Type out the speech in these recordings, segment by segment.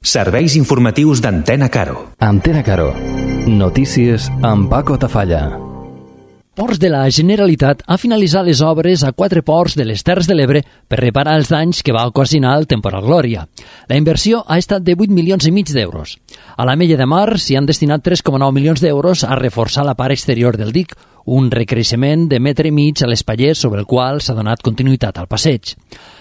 Serveis informatius d'Antena Caro. Antena Caro. Notícies amb Paco Tafalla. Ports de la Generalitat ha finalitzat les obres a 4 ports de les Terres de l'Ebre per reparar els danys que va ocasionar el temporal Glòria. La inversió ha estat de 8,5 milions d'euros. A l'Ametlla de Mar s'hi han destinat 3,9 milions d'euros a reforçar la part exterior del dic, un recreixement de 1,5 metres a l'espatller sobre el qual s'ha donat continuïtat al passeig.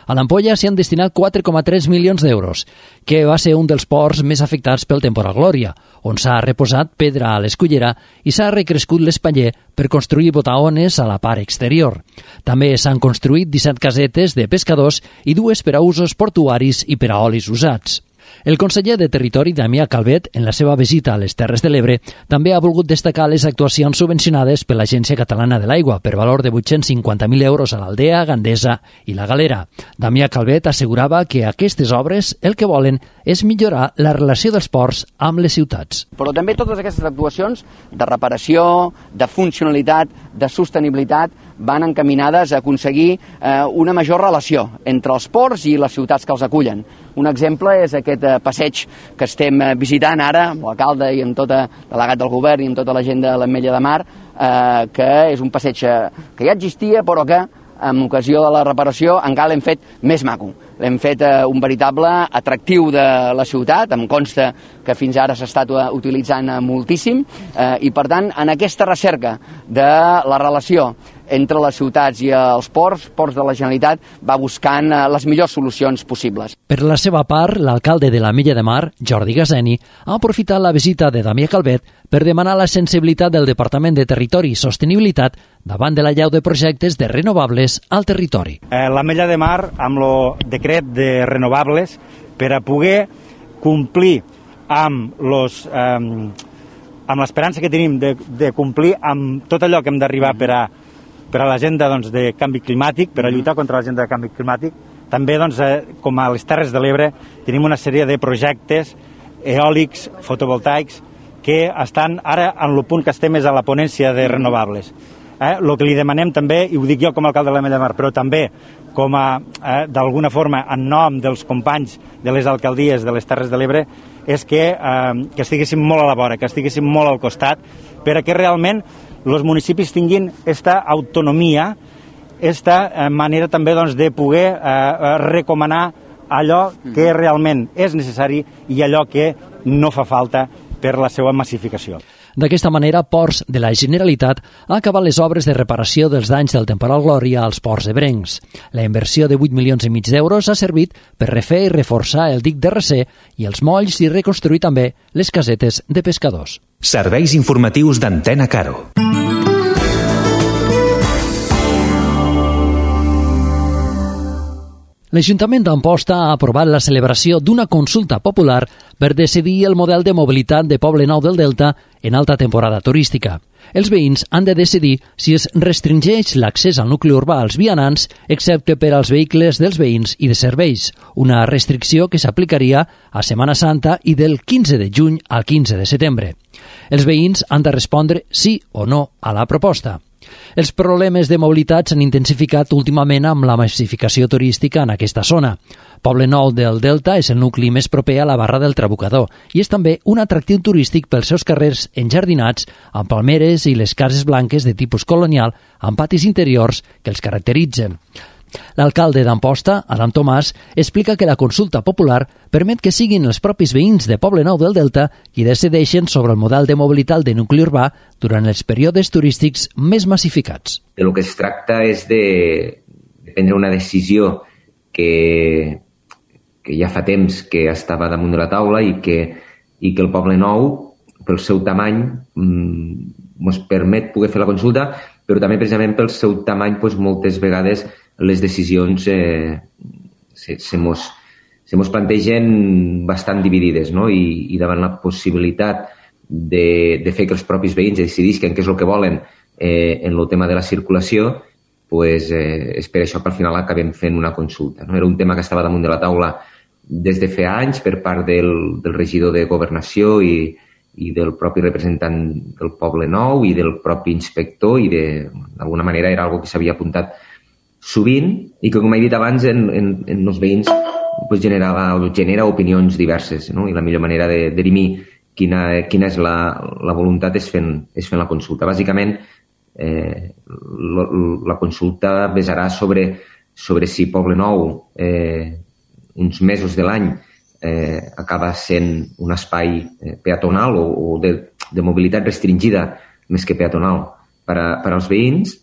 A l'Ampolla s'hi han destinat 4,3 milions d'euros, que va ser un dels ports més afectats pel temporal Glòria, on s'ha reposat pedra a l'escullera i s'ha recrescut l'espatller per construir botaones a la part exterior. També s'han construït 17 casetes de pescadors i 2 per a usos portuaris i per a olis usats. El conseller de Territori, Damià Calvet, en la seva visita a les Terres de l'Ebre, també ha volgut destacar les actuacions subvencionades per l'Agència Catalana de l'Aigua per valor de 850.000 euros a l'Aldea, Gandesa i la Galera. Damià Calvet assegurava que aquestes obres el que volen és millorar la relació dels ports amb les ciutats. Però també totes aquestes actuacions de reparació, de funcionalitat, de sostenibilitat, van encaminades a aconseguir una major relació entre els ports i les ciutats que els acullen. Un exemple és aquest passeig que estem visitant ara, amb l'alcalde i amb tot el delegat del govern i amb tota la gent de l'Ametlla de Mar, que és un passeig que ja existia però que en ocasió de la reparació encara l'hem fet més maco. L'hem fet un veritable atractiu de la ciutat, em consta que fins ara s'ha estat utilitzant moltíssim i per tant en aquesta recerca de la relació entre les ciutats i els ports de la Generalitat va buscant les millors solucions possibles. Per la seva part, l'alcalde de l'Ametlla de Mar, Jordi Gaseni, ha aprofitat la visita de Damià Calvet per demanar la sensibilitat del Departament de Territori i Sostenibilitat davant de l'allau de projectes de renovables al territori. L'Ametlla de Mar, amb el decret de renovables, per a poder complir amb l'esperança que tenim de complir amb tot allò que hem d'arribar per a l'agenda de canvi climàtic, per a lluitar contra l'agenda de canvi climàtic. També, com a les Terres de l'Ebre, tenim una sèrie de projectes eòlics, fotovoltaics, que estan ara en el punt que estem és a la ponència de renovables. El que li demanem també, i ho dic jo com a alcalde de l'Ametlla de Mar, però també com a, d'alguna forma, en nom dels companys de les alcaldies de les Terres de l'Ebre, és que estiguéssim molt a la vora, que estiguéssim molt al costat, perquè realment els municipis tinguin aquesta autonomia, aquesta manera també de poder recomanar allò que realment és necessari i allò que no fa falta per la seva massificació. D'aquesta manera, Ports de la Generalitat ha acabat les obres de reparació dels danys del temporal Glòria als ports ebrencs. La inversió de 8,5 milions d'euros ha servit per refer i reforçar el dic de Recer i els molls i reconstruir també les casetes de pescadors. Serveis informatius d'Antena Caro. L'Ajuntament d'Amposta ha aprovat la celebració d'una consulta popular per decidir el model de mobilitat de Poblenou del Delta en alta temporada turística. Els veïns han de decidir si es restringeix l'accés al nucli urbà als vianants, excepte per als vehicles dels veïns i de serveis, una restricció que s'aplicaria a Setmana Santa i del 15 de juny al 15 de setembre. Els veïns han de respondre sí o no a la proposta. Els problemes de mobilitat s'han intensificat últimament amb la massificació turística en aquesta zona. Poblenou del Delta és el nucli més proper a la Barra del Trabucador i és també un atractiu turístic pels seus carrers enjardinats amb palmeres i les cases blanques de tipus colonial amb patis interiors que els caracteritzen. L'alcalde d'Amposta, Adam Tomàs, explica que la consulta popular permet que siguin els propis veïns de Poblenou del Delta qui decideixen sobre el model de mobilitat de nucli urbà durant els períodes turístics més massificats. El que es tracta és de prendre una decisió que ja fa temps que estava damunt de la taula i que el Poblenou, pel seu tamany, ens permet poder fer la consulta, però també precisament pel seu tamany moltes vegades les decisions se mos plantegen bastant dividides, no? I davant la possibilitat de fer que els propis veïns decidisquen què és el que volen en el tema de la circulació, és per això que al final acabem fent una consulta. No? Era un tema que estava damunt de la taula des de fa anys per part del regidor de Governació i del propi representant del Poblenou i del propi inspector i d'alguna manera era algo que s'havia apuntat sovint i que, com he dit abans, en els veïns genera opinions diverses, no? I la millor manera de dirimir quina és la voluntat és fent la consulta. Bàsicament, la consulta basarà sobre si Poblenou uns mesos de l'any acaba sent un espai peatonal o de mobilitat restringida més que peatonal per als veïns,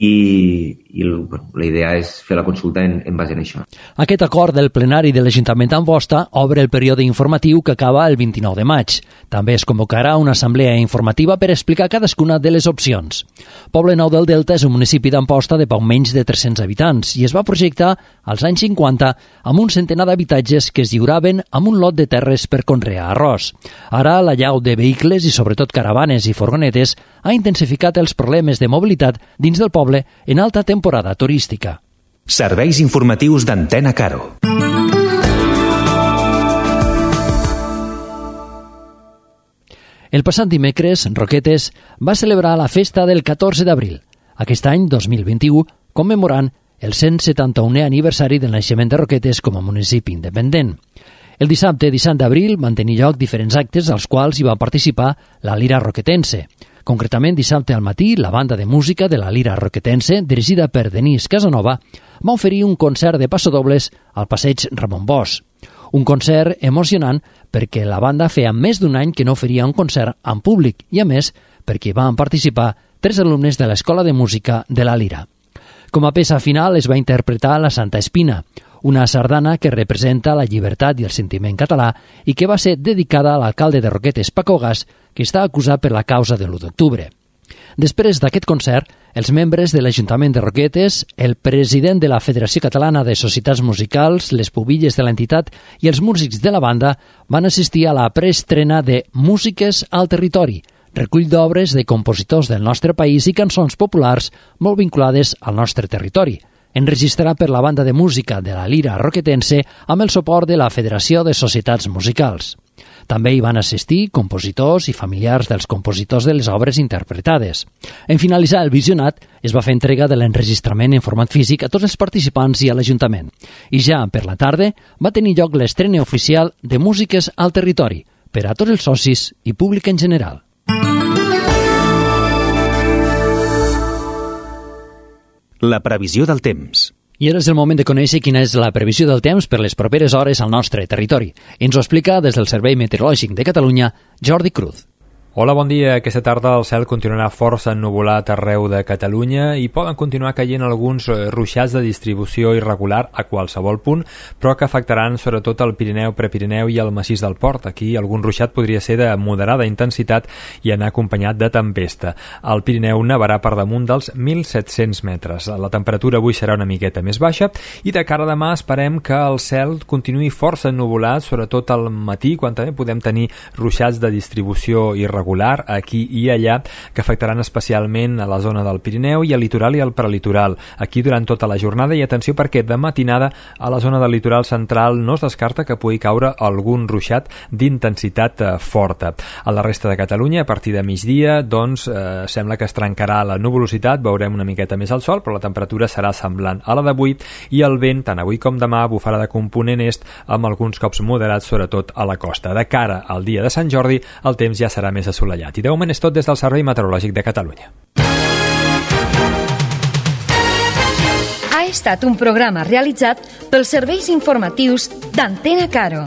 i la idea és fer la consulta en base a això. Aquest acord del plenari de l'Ajuntament d'Amposta obre el període informatiu que acaba el 29 de maig. També es convocarà una assemblea informativa per explicar cadascuna de les opcions. Poblenou del Delta és un municipi d'Amposta de poc menys de 300 habitants i es va projectar als anys 50 amb un centenar d'habitatges que es lliuraven amb un lot de terres per conrear arròs. Ara l'allau de vehicles i sobretot caravanes i furgonetes ha intensificat els problemes de mobilitat dins del poble en alta temporada turística. Serveis informatius d'Antena Caro. El passat dimecres, Roquetes va celebrar la festa del 14 d'abril, aquest any 2021, commemorant el 171è aniversari del naixement de Roquetes com a municipi independent. El dissabte 17 d'abril van tenir lloc diferents actes als quals hi va participar la Lira Roquetense. Concretament, dissabte al matí, la banda de música de la Lira Roquetense, dirigida per Denis Casanova, va oferir un concert de passadobles al passeig Ramon Bosch. Un concert emocionant perquè la banda feia més d'un any que no oferia un concert en públic i, a més, perquè van participar 3 alumnes de l'Escola de Música de la Lira. Com a peça final es va interpretar la Santa Espina, una sardana que representa la llibertat i el sentiment català i que va ser dedicada a l'alcalde de Roquetes, Paco Gas, que està acusat per la causa de l'1 d'octubre. Després d'aquest concert, els membres de l'Ajuntament de Roquetes, el president de la Federació Catalana de Societats Musicals, les pubilles de l'entitat i els músics de la banda van assistir a la preestrena de Músiques al Territori, recull d'obres de compositors del nostre país i cançons populars molt vinculades al nostre territori, enregistrat per la banda de música de la Lira Roquetense amb el suport de la Federació de Societats Musicals. També hi van assistir compositors i familiars dels compositors de les obres interpretades. En finalitzar el visionat, es va fer entrega de l'enregistrament en format físic a tots els participants i a l'Ajuntament. I ja per la tarda va tenir lloc l'estrena oficial de Músiques al Territori per a tots els socis i públic en general. La previsió del temps. I ara és el moment de conèixer quina és la previsió del temps per les properes hores al nostre territori. Ens ho explica des del Servei Meteorològic de Catalunya, Jordi Cruz. Hola, bon dia. Aquesta tarda el cel continuarà força ennuvolat arreu de Catalunya i poden continuar caient alguns ruixats de distribució irregular a qualsevol punt, però que afectaran sobretot el Pirineu, Prepirineu i el massís del Port. Aquí algun ruixat podria ser de moderada intensitat i anar acompanyat de tempesta. El Pirineu nevarà per damunt dels 1.700 metres. La temperatura avui serà una miqueta més baixa i de cara a demà esperem que el cel continuï força ennuvolat, sobretot al matí, quan també podem tenir ruixats de distribució irregular aquí i allà, que afectaran especialment a la zona del Pirineu i al litoral i al prelitoral. Aquí durant tota la jornada, i atenció perquè de matinada a la zona del litoral central no es descarta que pugui caure algun ruixat d'intensitat forta. A la resta de Catalunya, a partir de migdia, doncs sembla que es trencarà la nuvolositat, veurem una miqueta més el sol, però la temperatura serà semblant a la d'avui i el vent, tant avui com demà, bufarà de component est amb alguns cops moderats, sobretot a la costa. De cara al dia de Sant Jordi, el temps ja serà més assolellat. I de moment és tot des del Servei Meteorològic de Catalunya. Ha estat un programa realitzat pels serveis informatius d'Antena Caro.